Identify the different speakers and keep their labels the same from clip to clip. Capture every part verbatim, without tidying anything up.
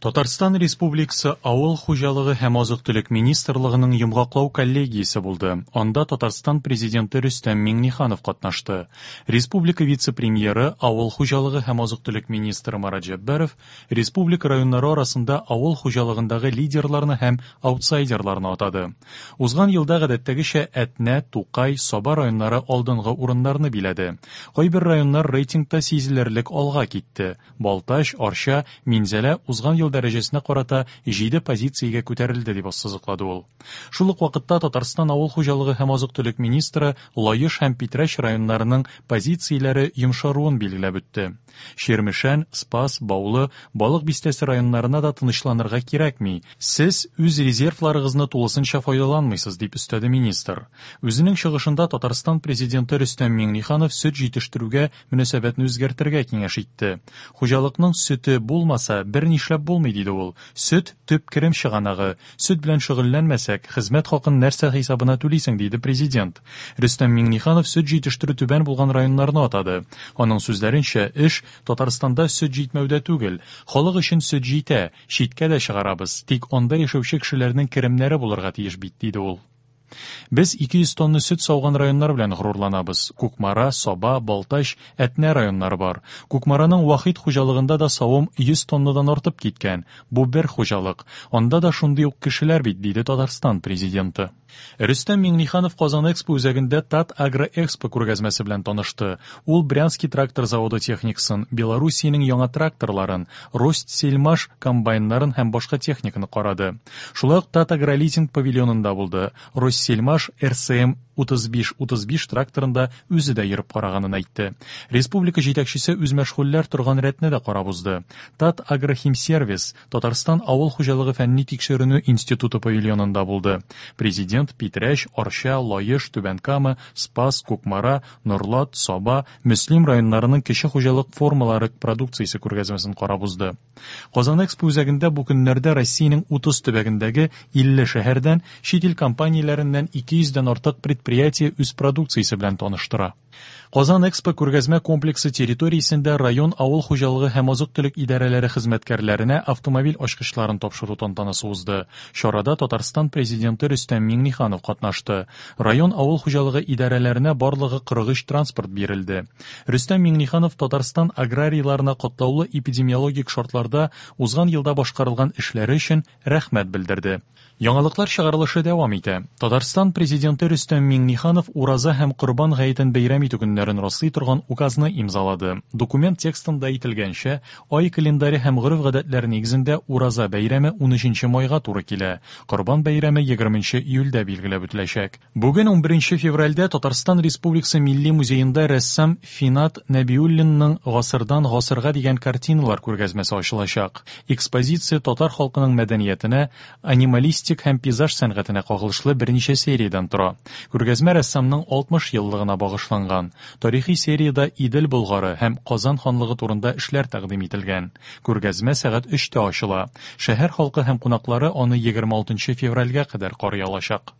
Speaker 1: Татарстан Республикасы Авыл хуҗалыгы һәм азык-төлек министрлыгының йомгаклау коллегиясе булды. Анда Татарстан Президенты Рөстәм Миңнеханов катнашты. Республика вице-премьеры, авыл хуҗалыгы һәм азык-төлек министры Марат Җәббаров республика районнары арасында авыл хуҗалыгындагы лидерларны һәм аутсайдерларны атады. Узган елда гадәттәгечә Әтнә, Тукай, Саба районнары алдынгы урыннарны биләде. Кайбер районнар рейтингта сизелерлек алга китте. Балтач, Арча, Минзәлә узган ел дәрәҗәсенә карата җиде позициягә күтәрелде, дип ассызыклады ул. Шул ук вакытта Татарстан авыл хуҗалыгы һәм азык-төлек министры Лаеш һәм Питрәч районнарының позицияләре йомшаруын билгеләп үтте. Чирмешән, Спас, Баулы, Балык Бистәсе районнарына да тынычланырга кирәкми. Сез үз резервларыгызны тулысынча файдаланмыйсыз, дип өстәде министр. Үзенең чыгышында Татарстан Президенты Рөстәм Миңнеханов сөт җитештерүгә мөнәсәбәтне үзгәртергә киңәш итте. Хуҗалыкның сөте булмаса, бер нишләп булмый, диде ул. Сөт төп керем чыганагы. Сөт белән шөгыльләнмәсәк, хезмәт хакын нәрсә хисабына түлисең, диде президент. Рөстәм Миңнеханов сөт җитештерү түбән булган районнарны атады. Аның сүзләренчә, эш Татарстанда сөт җитмәүдә түгел. Халык өчен сөт җитә, читкә дә чыгарабыз. Тик анда яшәүче кешеләрнең керемнәре булырга тиеш бит, диде ул. Без ике йөз тонна сөт сауган районнар белән горурланабыз. Кукмара, Саба, Балтач, Әтнә районнары бар. Кукмараның Вахит хуҗалыгында да савым йөз тоннадан артып киткән. Бу бер хуҗалык. Анда да шундый ук кешеләр бит, диде Татарстан президенты. Рөстәм Миңнеханов Казан Экспо үзәгендә Тат Агро Экспо күргәзмәсе белән танышты. Ул Брянский трактор заводы техникасын, Белоруссиянең яңа тракторларын, Ростсельмаш комбайннарын һәм башка техниканы карады. Шулай ук Тат Агролизинг павильонында булды. Ростсельмаш Р С М утыз биш утыз биш тракторында үзе дә йөреп караганын әйтте. Республика җитәкчесе үзмәшгульләр торган рәтне дә карап узды. Тат Агрохимсервис Татарстан авыл хуҗалыгы фәнни тикшеренү институты павильонында булды. Президент Питрәч, Арча, Лаеш, Түбән Кама, Спас, Кукмара, Норлат, Саба, Мөслим районнарының кече хуҗалык формалары продукциясе күргәзмәсен карап узды. Казан Экспо үзәгендә бу көннәрдә Россиянең утыз төбәгендәге илле шәһәрдән, чит ил компанияләреннән ике йөздән артык предприятие үз продукциясе белән таныштыра. Казан Экспо күргәзмә комплексы территориясендә район авыл хуҗалыгы һәм азык-төлек идарәләре хезмәткәрләренә автомобиль ачкычларын тапшыру тантанасы узды. Чарада Татарстан Президенты Рөстәм Миңнеханов катнашты. Район авыл хуҗалыгы идарәләренә барлыгы кырык өч транспорт бирелде. Рөстәм Миңнеханов Татарстан аграрийларына катлаулы эпидемиологик шартларда узган елда башкарылган эшләре өчен рәхмәт белдерде. Яңалыклар чыгарылышы дәвам итә. Татарстан Президенты Рөстәм Миңнеханов Ураза һәм Корбан гаетен бәйрәм итү көннәрен раслый торган указны имзалады. Документ текстында әйтелгәнчә, ай календаре һәм гореф-гадәтләр нигезендә Ураза бәйрәме унөченче майга туры килә. Корбан бәйрәме егерменче июльдә билгеләп үтеләчәк. Бүген унберенче февральдә Татарстан Республикасы Милли музеенда рәссам Финат Нәбиуллинның Гасырдан гасырга дигән картиналар күргәзмәсе ачылачак. Экспозиция татар халкының мәдәниятенә, анималистик һәм пейзаж сәнгатенә кагылышлы берничә сериядән тора. Күргәзмә рәссамның алтмыш еллыгына багышланган. Тарихи сериядә Идел Болгары һәм Казан ханлыгы турында эшләр тәкъдим ителгән. Күргәзмә сәгать өчтә ачыла. Шәһәр халкы һәм кунаклары аны егерме алтынчы февральгә кадәр карый алачак.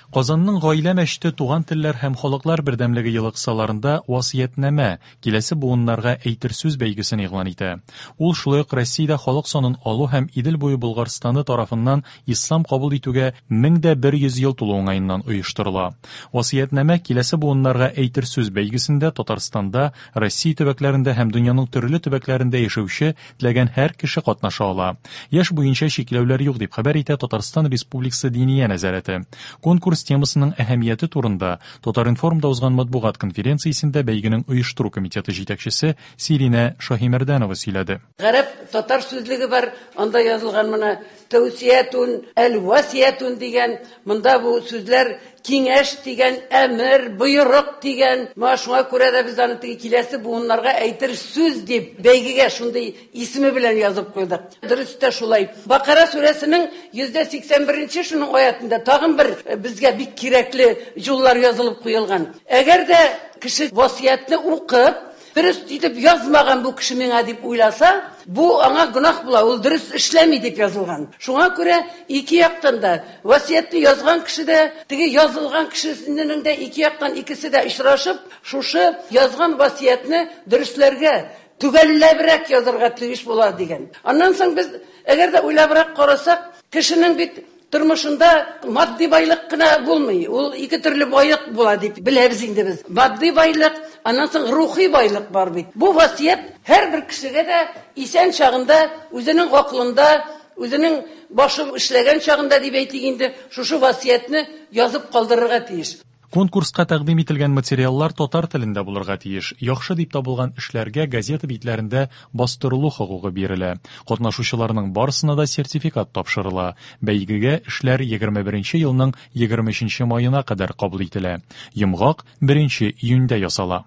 Speaker 1: Казанның гаилә мәчете туган телләр һәм халыклар бердәмлеге елы кысаларында васыятьнамә, киләсе буыннарга әйтер сүз бәйгесен игълан итә. Ул шулай ук Россиядә халык санын алу һәм Идел буе Болгарстаны тарафыннан ислам кабул итүгә мең дә бер йөз ел тулу уңаеннан оештырыла. Васыятьнамә киләсе буыннарга әйтер сүз бәйгесендә Татарстанда, Россия төбәкләрендә һәм дөньяның төрле төбәкләрендә яшәүче теләгән һәр кеше катнаша ала. Яшь буенча чикләүләр юк дип хәбәр итә Татарстан Республикасы Диния нәзарәте. Конкурс темасының әһәмияте турында Татар-информда узган матбугат конференциясендә бәйгенең оештыру комитеты җитәкчесе Сиринә Шаһимәрдәнова сөйләде.
Speaker 2: Гарәп татар сүзлеге бар, анда язылган моны тәүсиятун, әл-васиятун дигән, монда бу сүзләр киңәш дигән, әмер, боерык дигән. Моңа шуңа күрә дә без аны теге киләсе буыннарга әйтер сүз дип бәйгегә шундый исеме белән язып куйдык. Дөрес тә шулай. Бакара сүрәсенең йөздә сиксән беренче шуның аятында тагын бер безгә бик кирәкле юллар язылып куелган. Әгәр дә кеше васыятьне укып, дөрес итеп язмаган бу кеше миңа дип уйласа, бу аңа гөнаһ була, ул дөрес эшләми дип язылган. Шуңа күрә ике яктан да васыятьне язган кеше дә, теге язылган кешенең дә ике яктан икесе дә очрашып, шушы язган васыятьне дөресләргә, төгәлләбрәк язарга тиеш була дигән. Аннан соң без әгәр дә уйлабрак карасак, кешенең бит тормышында матди байлык кына булмый. Ул ике төрле байлык була дип беләбез инде без. Матди байлык, аннан соң рухи байлык бар бит. Бу васыять һәрбер кешегә дә исән чагында үзенең акылында, үзенең башы эшләгән чагында дип әйтик инде, шушы васыятьне язып калдырырга тиеш.
Speaker 1: Конкурска тәкъдим ителгән материаллар татар телендә булырга тиеш. Яхшы дип табылган эшләргә газета битләрендә бастырылу хокукы бирелә. Катнашучыларның барысына да сертификат тапшырыла. Бәйгегә эшләр егерме беренче елның егерме өченче маена кадәр кабул ителә. Йомгак беренче июньдә ясала.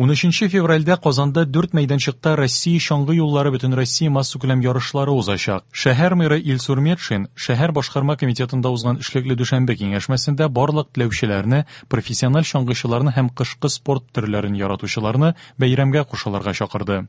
Speaker 1: Унөченче февральдә Казанда дүрт мәйданчыкта Россия чаңгы юллары Бөтенроссия массакүләм ярышлары узачак. Шәһәр мэры Илсур Метшин шәһәр башкарма комитетында узган эшлекле дүшәмбе киңәшмәсендә барлык теләүчеләрне, профессиональ чаңгычыларны һәм кышкы спорт төрләрен яратучыларны бәйрәмгә кушылырга чакырды.